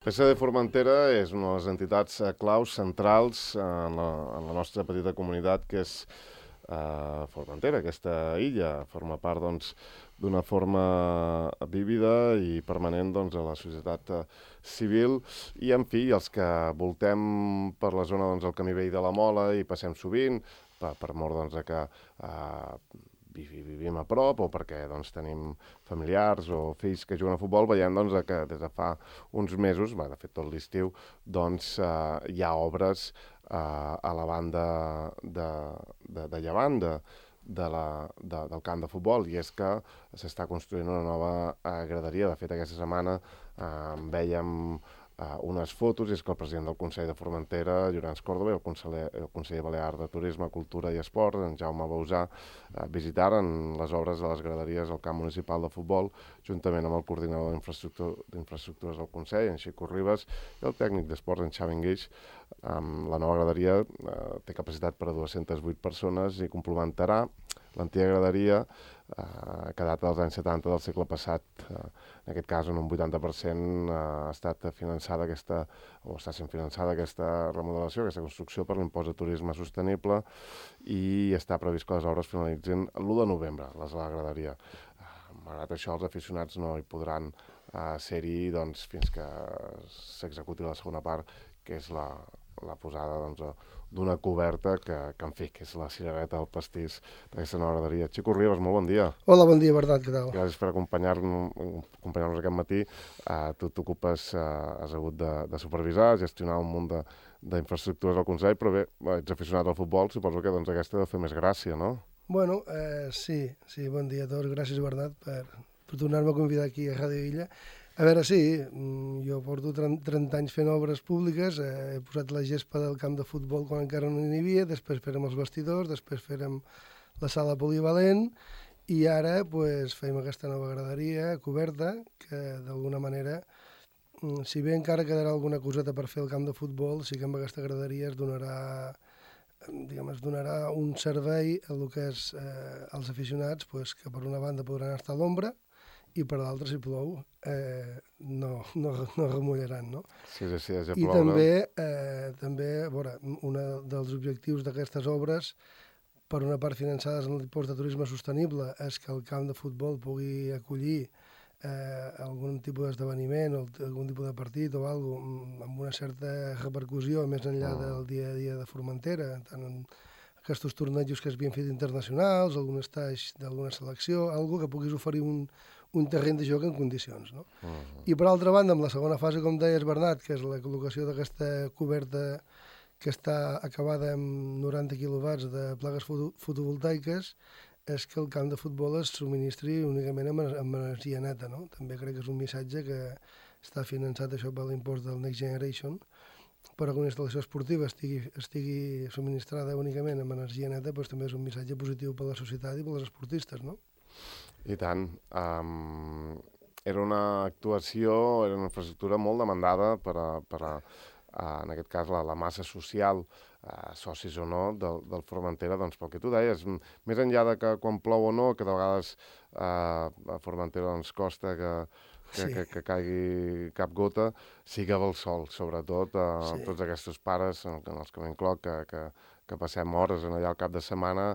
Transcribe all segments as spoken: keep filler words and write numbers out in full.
P S D Formentera és una de les entitats eh, claus centrals en la, en la nostra petita comunitat que és eh, Formentera, aquesta illa. Forma part doncs, d'una forma vívida i permanent doncs, a la societat eh, civil i, en fi, els que voltem per la zona doncs, el camí vell de la Mola i passem sovint, per, per mort doncs, de que eh, vivim a prop o perquè doncs, tenim familiars o fills que juguen a futbol, veiem doncs, que des de fa uns mesos, bé, de fet tot l'estiu, doncs, eh, hi ha obres eh, a la banda de, de, de llevant de, de la, de, del camp de futbol, i és que s'està construint una nova eh, graderia. De fet, aquesta setmana eh, vèiem Uh, unes fotos, i és que el president del Consell de Formentera, Llorenç Córdoba, i el conseller, el conseller Balear de Turisme, Cultura i Esport, en Jaume Bausà, uh, visitaren les obres de les graderies al camp municipal de futbol, juntament amb el coordinador d'infraestructures del Consell, en Xico Ribas, i el tècnic d'esports, en Xavi Enguix. Um, la nova graderia uh, té capacitat per a dues-centes vuit persones i complementarà l'antiga graderia Uh, que data dels anys setanta del segle passat. Uh, en aquest cas, en un vuitanta per cent uh, ha estat finançada aquesta, o està sent finançada aquesta remodelació, aquesta construcció per l'impost de turisme sostenible, i està previst que les obres finalitzin l'u de novembre, les de la graderia. Uh, malgrat això, els aficionats no hi podran uh, ser-hi doncs, fins que s'executi la segona part, que és la, la posada doncs, d'una coberta que, que, en fi, que és la cirereta del pastís d'aquesta nova graderia. Xico Ribas, molt bon dia. Hola, bon dia, Bernat, què tal? Gràcies per acompanyar-nos acompanyar aquest matí. Uh, tu t'ocupes, uh, has hagut de, de supervisar, gestionar un munt d'infraestructures al Consell, però bé, ets aficionat al futbol, suposo que doncs, aquesta ha de fer més gràcia, no? Bueno, eh, sí, sí, bon dia a tots. Gràcies, Bernat, per, per tornar-me a convidar aquí a Ràdio Illa. A veure, sí, jo porto trenta anys fent obres públiques, eh, he posat la gespa del camp de futbol quan encara no n'hi havia, després fèrem els vestidors, després fèrem la sala polivalent i ara pues, fem aquesta nova graderia coberta que d'alguna manera, si bé encara quedarà alguna coseta per fer el camp de futbol, sí que amb aquesta graderia es donarà, diguem, es donarà un servei a lo que és eh, als aficionats, pues, que per una banda podran estar a l'ombra i per l'altre, si plou, eh, no, no, no remullaran, no? Sí, sí, sí, ja I ploure. també, eh, també, a veure, un dels objectius d'aquestes obres, per una part finançades en l'impost de turisme sostenible, és que el camp de futbol pugui acollir eh, algun tipus d'esdeveniment o algun tipus de partit o alguna cosa amb una certa repercussió més enllà Mm. del dia a dia de Formentera, tant en aquests tornejos que s'havien fet internacionals, algun estatge d'alguna selecció, algo que puguis oferir un, un terreny de joc en condicions, no? Mm. I per altra banda, amb la segona fase, com deies, Bernat, que és la col·locació d'aquesta coberta que està acabada amb noranta quilowatts de plaques foto fotovoltaiques, és que el camp de futbol es subministri únicament amb, amb energia neta, no? També crec que és un missatge que està finançat això per l'impost del Next Generation, però que una instal·lació esportiva estigui, estigui subministrada únicament amb energia neta, doncs també és un missatge positiu per a la societat i per als esportistes, no? I tant. Um, era una actuació, era una infraestructura molt demandada per a, per a uh, en aquest cas, la, la massa social, uh, socis o no, del, del Formentera, doncs pel que tu deies, més enllà de que quan plou o no, que de vegades uh, a Formentera doncs, costa que, que, Sí. que, que caigui cap gota, sí que ve el sol, sobretot a uh, Sí. tots aquests pares, en, en els que m'incloc, que, que, que passem hores en allà al cap de setmana,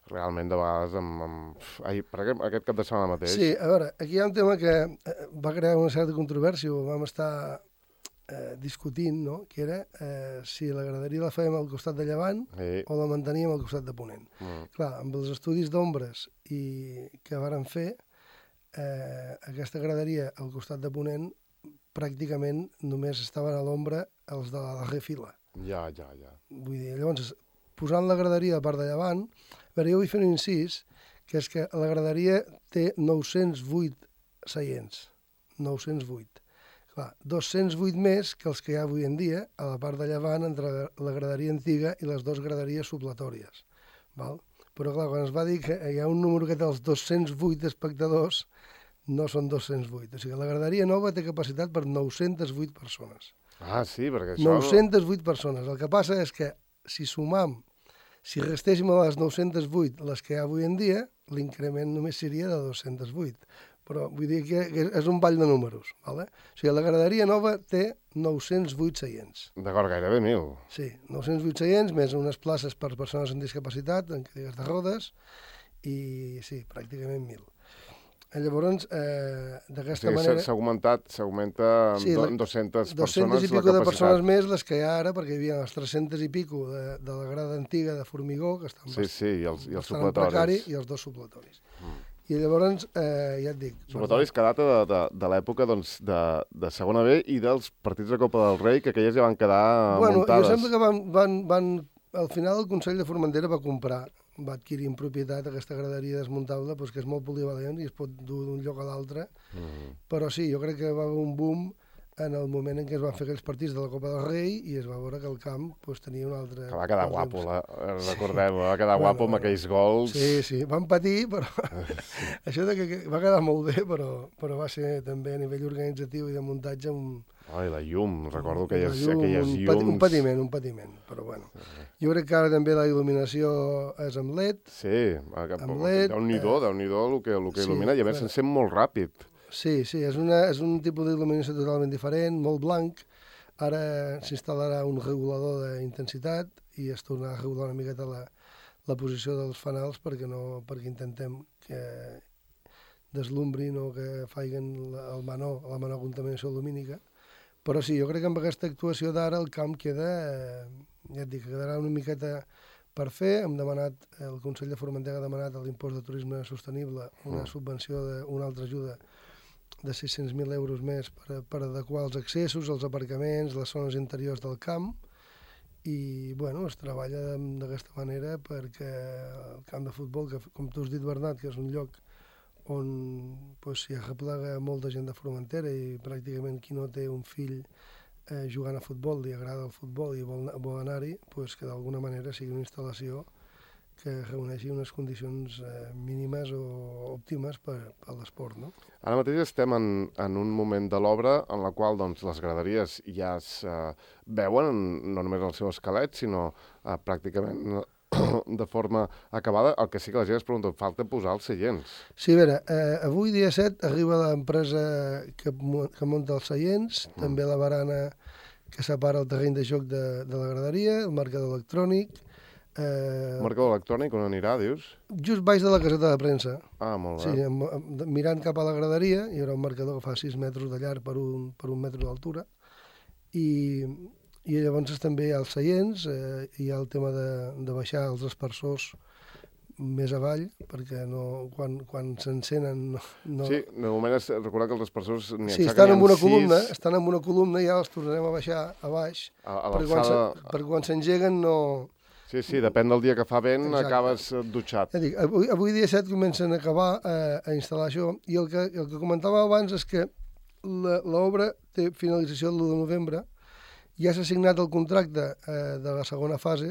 realment de vegades amb... amb... Ai, per aquest, aquest cap de setmana mateix. Sí, a veure, aquí hi ha un tema que eh, va crear una certa controvèrsia, ho vam estar eh, discutint, no?, que era eh, si la graderia la fèiem al costat de llevant Sí. o la manteníem al costat de ponent. Mm. Clar, amb els estudis d'ombres i que varen fer, eh, aquesta graderia al costat de ponent pràcticament només estaven a l'ombra els de la darrera fila. Ja, ja, ja. Vull dir, llavors, posant la graderia a part de llevant, a veure, jo vull fer un incís, que és que la graderia té nou-cents vuit seients, nou-cents vuit. Clar, dos-cents vuit més que els que hi ha avui en dia, a la part de llevant, entre la graderia antiga i les dues graderies supletòries. Val? Però clar, quan es va dir que hi ha un número que té els dos-cents vuit espectadors, no són dos-cents vuit. O sigui, la graderia nova té capacitat per nou-cents vuit persones. Ah, sí, perquè això... nou-cents vuit persones. El que passa és que si sumam, si restéssim a les nou-cents vuit les que hi ha avui en dia, l'increment només seria de dos-cents vuit. però vull dir que és un ball de números. Vale? O sigui, la graderia nova té nou-cents vuit seients. D'acord, gairebé mil. Sí, nou-cents vuit seients, més unes places per persones amb discapacitat, en cadires de rodes, i sí, pràcticament mil. Llavors, eh, d'aquesta o sigui, manera... S'ha augmentat, s'augmenta amb sí, dues-centes persones i pico de persones més les que hi ha ara, perquè hi havia les tres-centes i pico de, de la grada antiga de formigó, que estan, sí, sí, i els, i els supletoris. Precari, i els dos supletoris. Mm. I llavors, eh, ja et dic... Supletoris que data de, de, de l'època doncs, de, de segona B i dels partits de Copa del Rei, que aquelles ja van quedar bueno, muntades. Jo sembla que van, van, van... Al final el Consell de Formentera va comprar, va adquirir en propietat aquesta graderia desmuntable, doncs que és molt polivalent i es pot dur d'un lloc a l'altre. Mm. Però sí, jo crec que va haver un boom en el moment en què es van fer aquells partits de la Copa del Rei i es va veure que el camp pues, tenia un altre... Que va quedar guapo, la, recordem, va quedar bueno, guapo amb bueno, aquells gols. Sí, sí, van patir, però això de que va quedar molt bé, però, però va ser també a nivell organitzatiu i de muntatge un... Ai, la llum, recordo aquelles, llum, aquelles un llums... Un patiment, un patiment, però bueno. Sí. Jo crec que ara també la il·luminació és amb L E D. Sí, amb L E D. Déu-n'hi-do, eh... Déu-n'hi-do el que, el que sí, il·lumina, i a més s'encén molt ràpid. Sí, sí, és, una, és un tipus d'il·luminació totalment diferent, molt blanc. Ara s'instal·larà un regulador d'intensitat i es tornarà a regular una miqueta la, la posició dels fanals perquè, no, perquè intentem que deslumbrin o que faiguen la, el menor, la menor contaminació lumínica. Però sí, jo crec que amb aquesta actuació d'ara el camp queda, eh, ja et dic, quedarà una miqueta per fer. Hem demanat, el Consell de Formentera ha demanat a l'impost de turisme sostenible una mm. subvenció, de, una altra ajuda de sis-cents mil euros més per, per adequar els accessos, els aparcaments, les zones interiors del camp, i bueno, es treballa d'aquesta manera perquè el camp de futbol, que com tu has dit, Bernat, que és un lloc on pues, s'hi arreplega molta gent de Formentera i pràcticament qui no té un fill eh, jugant a futbol, li agrada el futbol i vol, vol anar-hi, pues, que d'alguna manera sigui una instal·lació que reuneixi unes condicions eh, mínimes o òptimes per, per l'esport, no? Ara mateix estem en, en un moment de l'obra en la qual doncs, les graderies ja es eh, veuen, no només el seu esquelet, sinó eh, pràcticament de forma acabada. El que sí que la gent es pregunta, falta posar els seients. Sí, a veure, eh, avui dia set arriba l'empresa que, que munta els seients, mm. també la barana que separa el terreny de joc de, de la graderia, el marcador electrònic. Eh, el marcador electrònic on anirà, dius? Just baix de la caseta de premsa. Ah, molt bé. Sí, amb, amb, mirant cap a la graderia, hi haurà un marcador que fa sis metres de llarg per un, per un metre d'altura, i... I llavors també hi ha els seients, eh, hi ha el tema de, de baixar els aspersors més avall, perquè no, quan, quan s'encenen... No, no... Sí, de moment és recordar que els aspersors... Sí, estan en una sis... columna, estan en una columna i ja els tornarem a baixar a baix, a, a perquè quan, per quan s'engeguen no... Sí, sí, depèn del dia que fa vent, exacte, acabes dutxat. Ja dic, avui, avui dia set comencen a acabar eh, a instal·lar això, i el que, el que comentava abans és que l'obra té finalització l'u de novembre. Ja s'ha signat el contracte eh, de la segona fase,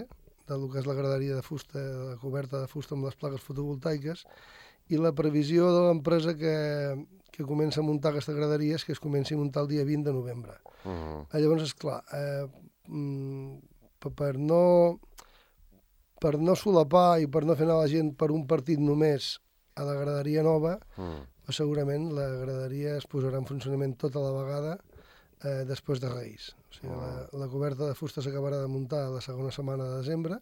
del que és la graderia de fusta, la coberta de fusta amb les plaques fotovoltaiques, i la previsió de l'empresa que, que comença a muntar aquesta graderia és que es comenci a muntar el dia vint de novembre. Uh -huh. Llavors, esclar, eh, per, no, per no solapar i per no fer anar la gent per un partit només a la graderia nova, uh -huh. segurament la graderia es posarà en funcionament tota la vegada Eh, després de Reis. O sigui, oh. la, la coberta de fusta s'acabarà de muntar la segona setmana de desembre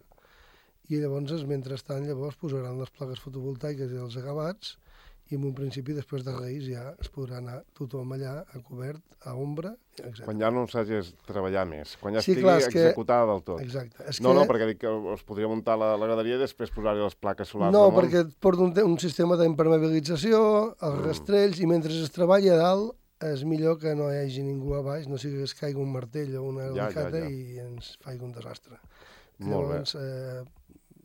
i llavors, mentrestant, llavors posaran les plaques fotovoltaiques i els acabats i en un principi, després de Reis, ja es podrà anar tothom allà a cobert, a ombra, etcètera. Quan ja no s'hagis de treballar més, quan ja sí, estigui clar, executada que... del tot. Exacte. És no, que... no, perquè dic que es podria muntar la, la graderia i després posar-hi les plaques solars. No, perquè porta un, un sistema d'impermeabilització, els mm. rastrells, i mentre es treballa a dalt, és millor que no hi hagi ningú a baix, no sigui que es caigui un martell o una alicata ja, ja, ja. i ens faci un desastre. Molt Llavors, bé. Eh,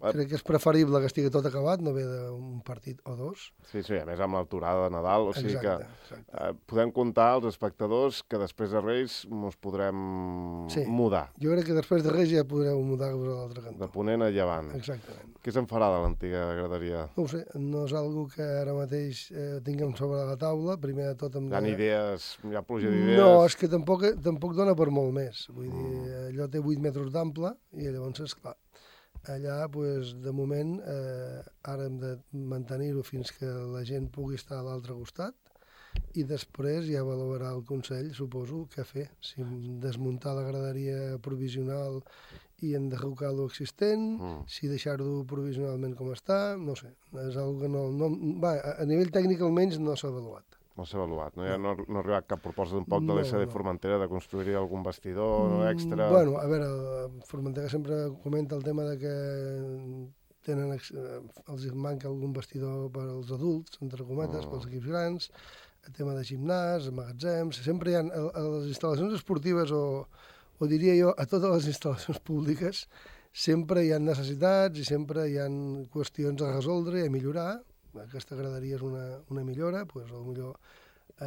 crec que és preferible que estigui tot acabat, no ve d'un partit o dos. Sí, sí, a més amb l'alturada de Nadal, o sigui exacte, que exacte. Eh, podem comptar als espectadors que després de Reis ens podrem sí. mudar. Jo crec que després de Reis ja podreu mudar-vos a l'altre cantó. De ponent a llevant. Exactament. Què se'n farà de l'antiga graderia? No ho sé, no és algo que ara mateix eh, tinguem sobre la taula, primer de tot... Amb hi ha de... idees, hi ha pluja d'idees... No, és que tampoc, tampoc dona per molt més. Vull mm. dir, allò té vuit metres d'ample i llavors, esclar, allà, pues, de moment, eh, ara hem de mantenir-ho fins que la gent pugui estar a l'altre costat i després ja valorarà el Consell, suposo, què fer. Si desmuntar la graderia provisional i enderrocar l'existent, mm. si deixar-ho provisionalment com està, no sé. És algo que no, no, va, a nivell tècnic almenys no s'ha avaluat. No s'ha avaluat, no? Ja no, no ha arribat cap proposta d'un poc de l'S D no, no. Formentera de construir algun vestidor mm, extra... Bueno, a veure, Formentera sempre comenta el tema de que tenen, els manca algun vestidor per als adults, entre cometes, mm. pels equips grans, el tema de gimnàs, magatzems, sempre hi ha a, a les instal·lacions esportives o, o diria jo a totes les instal·lacions públiques sempre hi ha necessitats i sempre hi ha qüestions a resoldre i a millorar. Aquesta graderia és una, una millora, doncs potser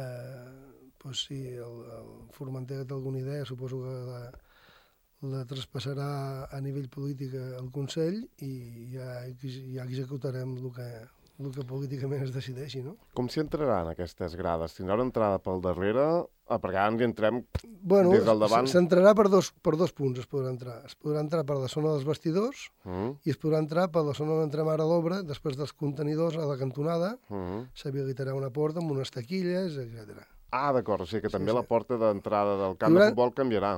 eh, pues sí, el, el Formentera té alguna idea, suposo que la, la traspassarà a nivell polític al Consell i ja, ja executarem el que, el que políticament es decideixi, no? Com s'hi entraran aquestes grades? Tindrà una entrada pel darrere? Ah, perquè ara ens hi entrem bueno, des del davant. S'entrarà per dos, per dos punts, es podrà entrar. Es podrà entrar per la zona dels vestidors mm. i es podrà entrar per la zona on entrem ara a l'obra, després dels contenidors a la cantonada, mm. s'habilitarà una porta amb unes taquilles, etcètera. Ah, d'acord, o sigui que també sí, sí. La porta d'entrada del camp haurà... de futbol canviarà.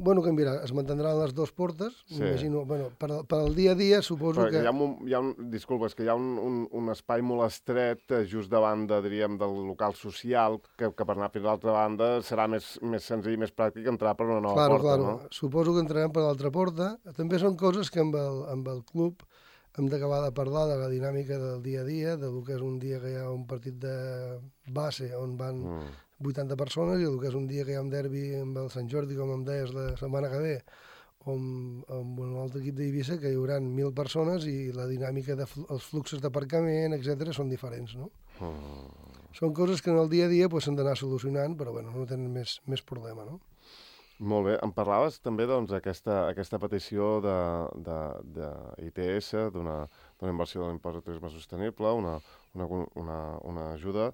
Bueno, canviarà, es mantindran les dues portes, sí. M'imagino, bueno, per, per al dia a dia suposo però que... Hi ha un, hi ha un, disculpa, és que hi ha un, un, un espai molt estret just davant, de, diríem, del local social, que, que per anar fins a l'altra banda serà més, més senzill i més pràctic entrar per una nova claro, porta, claro. No? Suposo que entrarem per l'altra porta. També són coses que amb el, amb el club hem d'acabar de parlar de la dinàmica del dia a dia, del que és un dia que hi ha un partit de base on van... Mm. vuitanta persones i el que és un dia que hi ha un derbi amb el Sant Jordi, com em deies la setmana que ve, o amb, amb un altre equip d'Eivissa, que hi haurà mil persones i la dinàmica dels de, fluxos d'aparcament, etcètera, són diferents, no? Mm. Són coses que en el dia a dia pues, s'han d'anar solucionant, però bueno, no tenen més, més problema, no? Molt bé. Em parlaves també doncs, aquesta, aquesta petició de, de, de I T S, d'una inversió de l'impost de turisme sostenible, una, una, una, una ajuda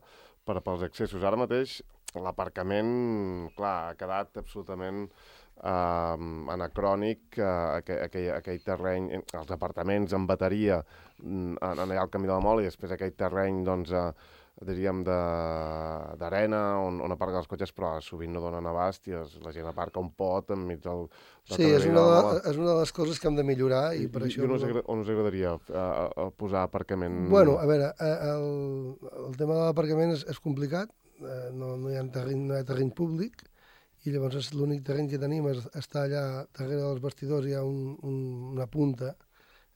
per pels accessos. Ara mateix l'aparcament, clar, ha quedat absolutament eh, anacrònic, eh, aquell, aquell, aquell terreny, els apartaments en bateria en allà al Camí de la Mola i després aquell terreny, doncs, eh, diríem, d'arena on, on aparquen els cotxes, però sovint no donen abast i es, la gent aparca un pot enmig del... Sí, és una, de, és una de les coses que hem de millorar i, I per I, això... I on, us agrada, on us agradaria uh, posar aparcament? Bueno, a veure, el, el tema de l'aparcament és, és complicat, eh, no, no, hi ha terreny, no hi ha terreny públic i llavors l'únic terreny que tenim és, està allà darrere dels vestidors, hi ha un, un, una punta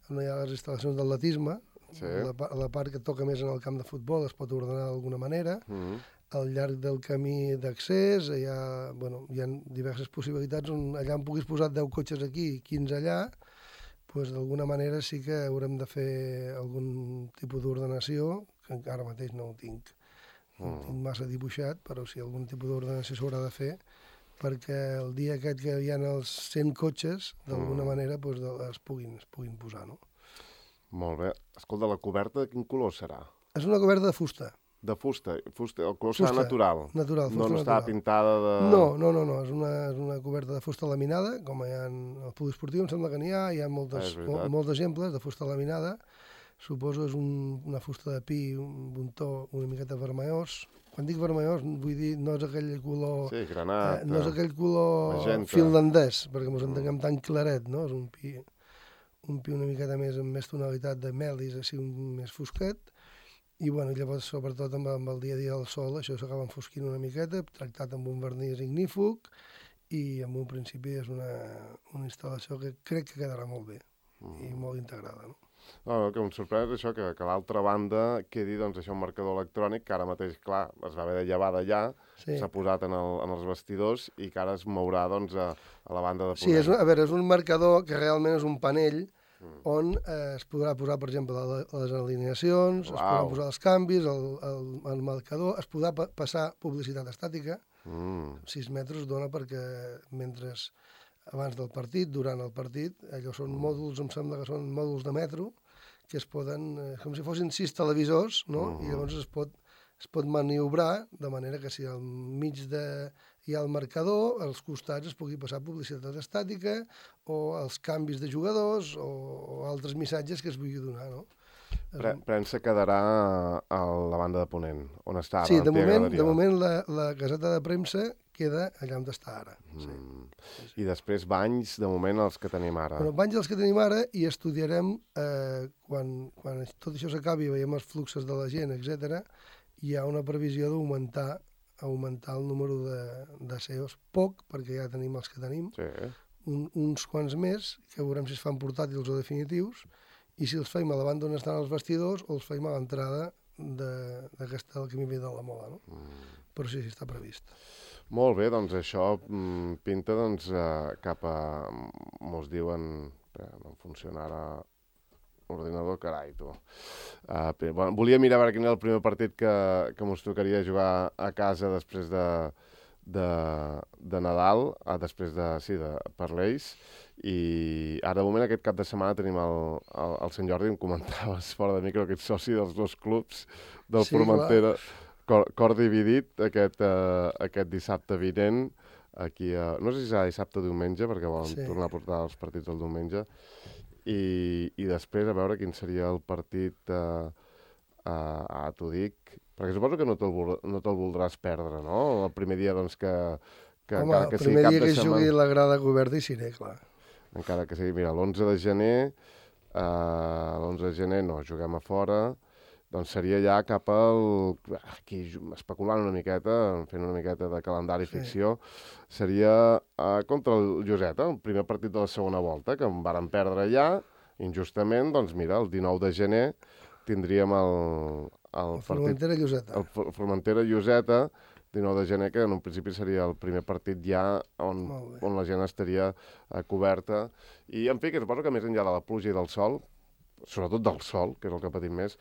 on hi ha les instal·lacions d'atletisme. Sí. La, la part que toca més en el camp de futbol es pot ordenar d'alguna manera. Mm. Al llarg del camí d'accés hi ha, bueno, hi ha diverses possibilitats on allà en puguis posar deu cotxes aquí i quinze allà, doncs d'alguna manera sí que haurem de fer algun tipus d'ordenació, que encara mateix no ho tinc, no ho tinc massa dibuixat, però sí algun tipus d'ordenació s'haurà de fer, perquè el dia aquest que hi ha els cent cotxes, d'alguna mm. manera doncs, es, puguin, es puguin posar, no? Molt bé. Escolta, la coberta de quin color serà? És una coberta de fusta. De fusta? fusta el color fusta, serà natural? Natural, fusta no, no natural. Està pintada de... No, no, no, no. És, una, és una coberta de fusta laminada, com hi ha al poliesportiu, em sembla que n'hi ha, hi ha moltes, ah, mol, molts exemples de fusta laminada. Suposo és un, una fusta de pi, un, un to una miqueta vermellós. Quan dic vermellós, vull dir, no és aquell color... Sí, granat. Eh, no és aquell color magenta. Finlandès, perquè ens entenguem mm. tan claret, no? És un pi... un pi una miqueta més amb més tonalitat de melis, així un més fosquet, i bueno, llavors sobretot amb, amb el dia a dia del sol això s'acaba enfosquint una miqueta, tractat amb un vernís ignífug, i en un principi és una, una instal·lació que crec que quedarà molt bé mm. i molt integrada, no? No, no, que em sorprèn és això, que, que a l'altra banda quedi doncs, això, un marcador electrònic que ara mateix, clar, es va haver de llevar d'allà, s'ha sí. posat en, el, en els vestidors i que ara es mourà doncs, a, a la banda de ponent. Sí, és, a veure, és un marcador que realment és un panell mm. on eh, es podrà posar, per exemple, les alineacions, Uau. Es podran posar els canvis, el, el, el marcador, es podrà pa passar publicitat estàtica, mm. sis metres dona perquè mentre abans del partit, durant el partit, allò són mòduls, em sembla que són mòduls de metro, que es poden, eh, com si fossin sis televisors, no? Mm. I llavors es pot, es pot maniobrar de manera que si al mig de, hi ha el marcador, als costats es pugui passar publicitat estàtica o els canvis de jugadors o, o altres missatges que es vulgui donar, no? Pre premsa quedarà a la banda de Ponent, on està ara. Sí, de moment, de moment la, la caseta de premsa queda allà on està ara. Sí. Mm. I després banys, de moment, els que tenim ara. Bueno, banys els que tenim ara i estudiarem, eh, quan, quan tot això s'acabi, veiem els fluxos de la gent, etcètera, hi ha una previsió d'augmentar augmentar el número de, de C E Os, poc, perquè ja tenim els que tenim, sí. un, uns quants més, que veurem si es fan portàtils o definitius, i si els feim a la banda on estan els vestidors o els feim a l'entrada d'aquesta del camí de la Mola, no? Mm. Però sí, sí, està previst. Molt bé, doncs això mm, pinta doncs, eh, cap a... Mos diuen... Eh, no funciona ara l'ordinador, carai, tu. Uh, bueno, volia mirar quin era el primer partit que, que mos tocaria jugar a casa després de, de, de Nadal, uh, després de, sí, de Parleix, i ara de moment aquest cap de setmana tenim el, el, el Sant Jordi, em comentaves fora de micro, que ets soci dels dos clubs del sí, Formentera, cor, cor dividit aquest, uh, aquest dissabte vinent, aquí, uh, no sé si serà dissabte o diumenge, perquè volen sí. tornar a portar els partits del diumenge, I, i després a veure quin seria el partit, uh, uh, ah, t'ho dic, perquè suposo que no te'l no te voldràs perdre, no? El primer dia, doncs, que, que Home, encara que sigui cap de setmana... el primer dia que setmana, jugui la grada coberta hi seré, clar. Encara que sigui, mira, l'onze de gener, uh, l'onze de gener no, juguem a fora, doncs seria ja cap al... Aquí, especulant una miqueta, fent una miqueta de calendari sí. ficció, seria uh, contra el Lloseta, el primer partit de la segona volta, que em varen perdre ja, injustament, doncs mira, el dinou de gener tindríem el... El, el Formentera-Lloseta. El Formentera-Lloseta, dinou de gener, que en un principi seria el primer partit ja on, on la gent estaria uh, coberta. I, en fi, que suposo que més enllà de la pluja i del sol, sobretot del sol, que és el que patim més,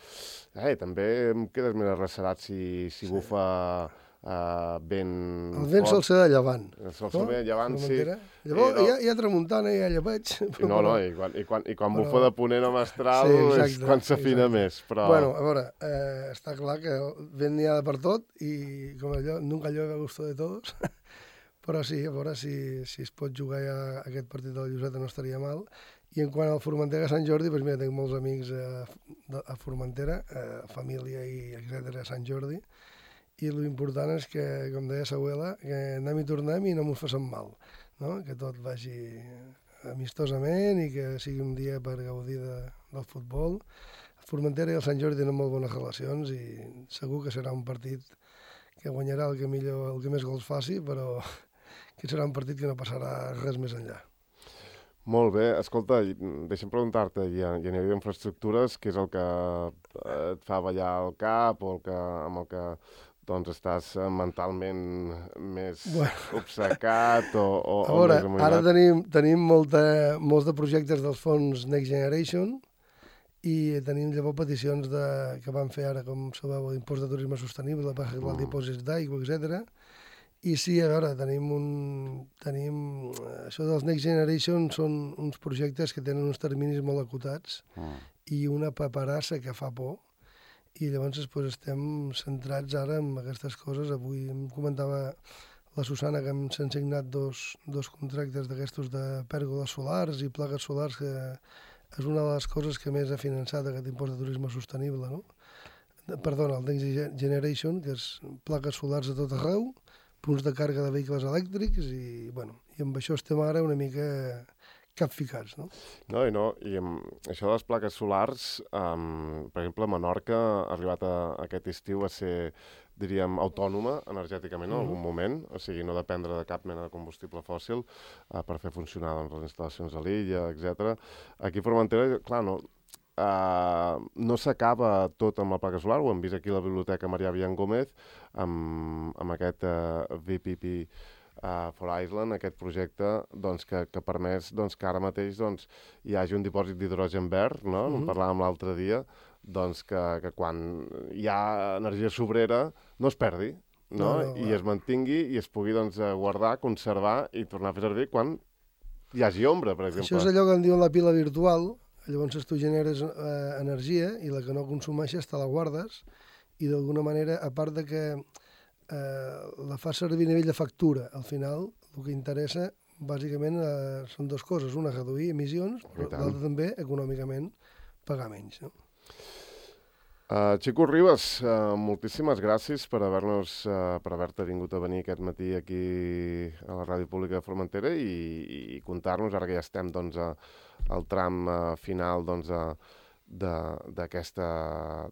eh, també em quedes més arrecerat si, si sí. bufa uh, vent El vent sol ser de llevant. El sol ser de llevant, sí. Llavors no. hi, ha, hi ha tramuntant, hi ha llepeig. No, no, i quan, i quan, i quan però... bufa de ponent o mestral sí, exacte, és quan s'afina més. Però... Bueno, a veure, eh, està clar que el vent n'hi ha per tot i com allò, nunca llueve a gusto de todos. Però sí, a veure si, si es pot jugar ja aquest partit de la Lloseta no estaria mal. I en quant al Formentera Sant Jordi, doncs mira, tinc molts amics a, a Formentera, a família i etcètera a Sant Jordi, i l'important és que, com deia Sahuela, que anem i tornem i no m'ho facin mal, no? Que tot vagi amistosament i que sigui un dia per gaudir de, del futbol. El Formentera i el Sant Jordi tenen molt bones relacions i segur que serà un partit que guanyarà el que millor, el que més gols faci, però que serà un partit que no passarà res més enllà. Molt bé. Escolta, deixa'm preguntar-te, hi ha, hi ha infraestructures, què és el que et fa ballar el cap o el que, amb el que doncs, estàs mentalment més bueno. obcecat o, o, a veure, o més amoïnat? Ara tenim, tenim molta, molts de projectes dels fons Next Generation i tenim llavors peticions de, que van fer ara, com sabeu, l'impost de turisme sostenible, per arreglar mm. dipòsits d'aigua, etcètera. I sí, a veure, tenim un... Tenim, això dels Next Generation són uns projectes que tenen uns terminis molt acotats mm. i una paperassa que fa por. I llavors pues, estem centrats ara en aquestes coses. Avui em comentava la Susana que s'han signat dos, dos contractes d'aquestos de pèrgoles solars i plaques solars, que és una de les coses que més ha finançat aquest impost de turisme sostenible, no? Perdona, el Next Generation, que és plaques solars a tot arreu, punts de càrrega de vehicles elèctrics i, bueno, i amb això estem ara una mica capficats, no? No, i no, i amb això de les plaques solars, um, per exemple, Menorca ha arribat a, a aquest estiu a ser, diríem, autònoma energèticament en uh-huh. algun moment, o sigui, no dependre de cap mena de combustible fòssil uh, per fer funcionar doncs, les instal·lacions a l'illa, etcètera. Aquí a Formentera, clar, no, Uh, no s'acaba tot amb la placa solar, ho hem vist aquí a la Biblioteca Marià Vian Gómez, amb, amb aquest uh, V P P uh, for Iceland, aquest projecte doncs, que, que permès doncs, que ara mateix doncs, hi hagi un dipòsit d'hidrogen verd, no? Mm-hmm. En parlàvem l'altre dia, doncs, que, que quan hi ha energia sobrera no es perdi, no? No, no, i es mantingui i es pugui doncs, guardar, conservar i tornar a fer servir quan hi hagi ombra, per exemple. Això és allò que en diuen la pila virtual. Llavors tu generes eh, energia i la que no consumeixes te la guardes i d'alguna manera, a part de que eh, la fas servir a nivell de factura, al final el que interessa bàsicament eh, són dues coses, una reduir emissions, però l'altra també econòmicament pagar menys, no? Uh, Xico Ribas, uh, moltíssimes gràcies per haver-nos, uh, per haver-te vingut a venir aquest matí aquí a la Ràdio Pública de Formentera i, i contar-nos, ara que ja estem doncs, a, al tram uh, final doncs, d'aquesta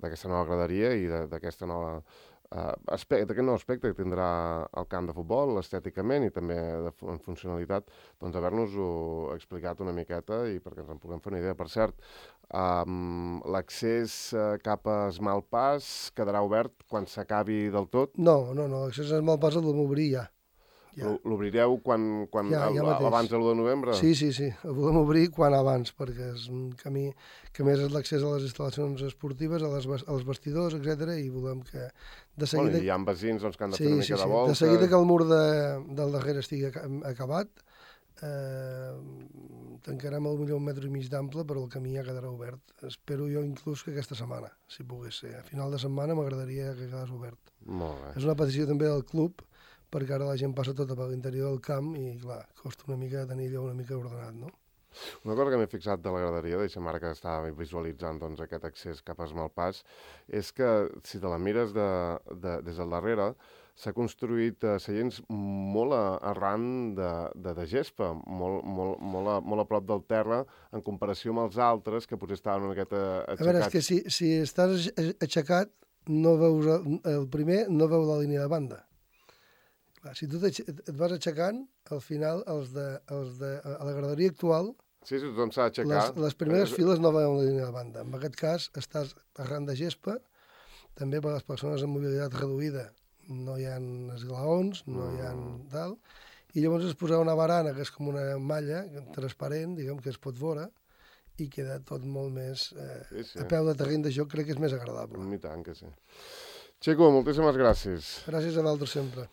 d'aquesta nova graderia i d'aquesta nova uh, aspecte, d'aquest nou aspecte que tindrà el camp de futbol, estèticament i també de, en funcionalitat, doncs haver-nos-ho explicat una miqueta i perquè ens en puguem fer una idea. Per cert, um, l'accés uh, cap a Esmalpàs quedarà obert quan s'acabi del tot? No, no, no, l'accés a Esmalpàs el vam obrir ja. Ja. L'obrireu quan, quan ja, ja abans de l'u de novembre? Sí, sí, sí. El volem obrir quan abans, perquè és un camí que més és l'accés a les instal·lacions esportives, a les, als vestidors, etcètera, i volem que de seguida... Bueno, hi ha veïns doncs, que han de sí, fer una mica sí, de sí. volta. De seguida que el mur de, del darrere estigui acabat, eh, tancarem el millor un metre i mig d'ample, però el camí ja quedarà obert. Espero jo inclús que aquesta setmana, si pogués ser. A final de setmana m'agradaria que quedés obert. Molt bé. És una petició també del club, perquè ara la gent passa tota per l'interior del camp i, clar, costa una mica tenir allò una mica ordenat, no? Una cosa que m'he fixat de la graderia, deixa'm ara que estava visualitzant doncs, aquest accés cap a Esmalpàs, és que si te la mires de, de, des del darrere, s'ha construït eh, seients molt a, arran de, de, de gespa, molt, molt, molt, a, molt a prop del terra, en comparació amb els altres, que potser estaven una miqueta aixecats. A veure, és que si, si estàs aixecat, no veus el, el primer, no veus la línia de banda. Clar, si tu et vas aixecant, al final, els de, els de, a la graderia actual, sí, sí, tothom s'ha d'aixecar. Les, les primeres eh, files no veuen la línia de banda. En aquest cas, estàs arran de gespa, també per a les persones amb mobilitat reduïda no hi ha esglaons, no hi ha tal, i llavors es posa una barana, que és com una malla transparent, diguem, que es pot veure, i queda tot molt més... Eh, sí, sí. A peu de terreny de joc crec que és més agradable. I tant que sí. Xico, moltíssimes gràcies. Gràcies a vosaltres sempre.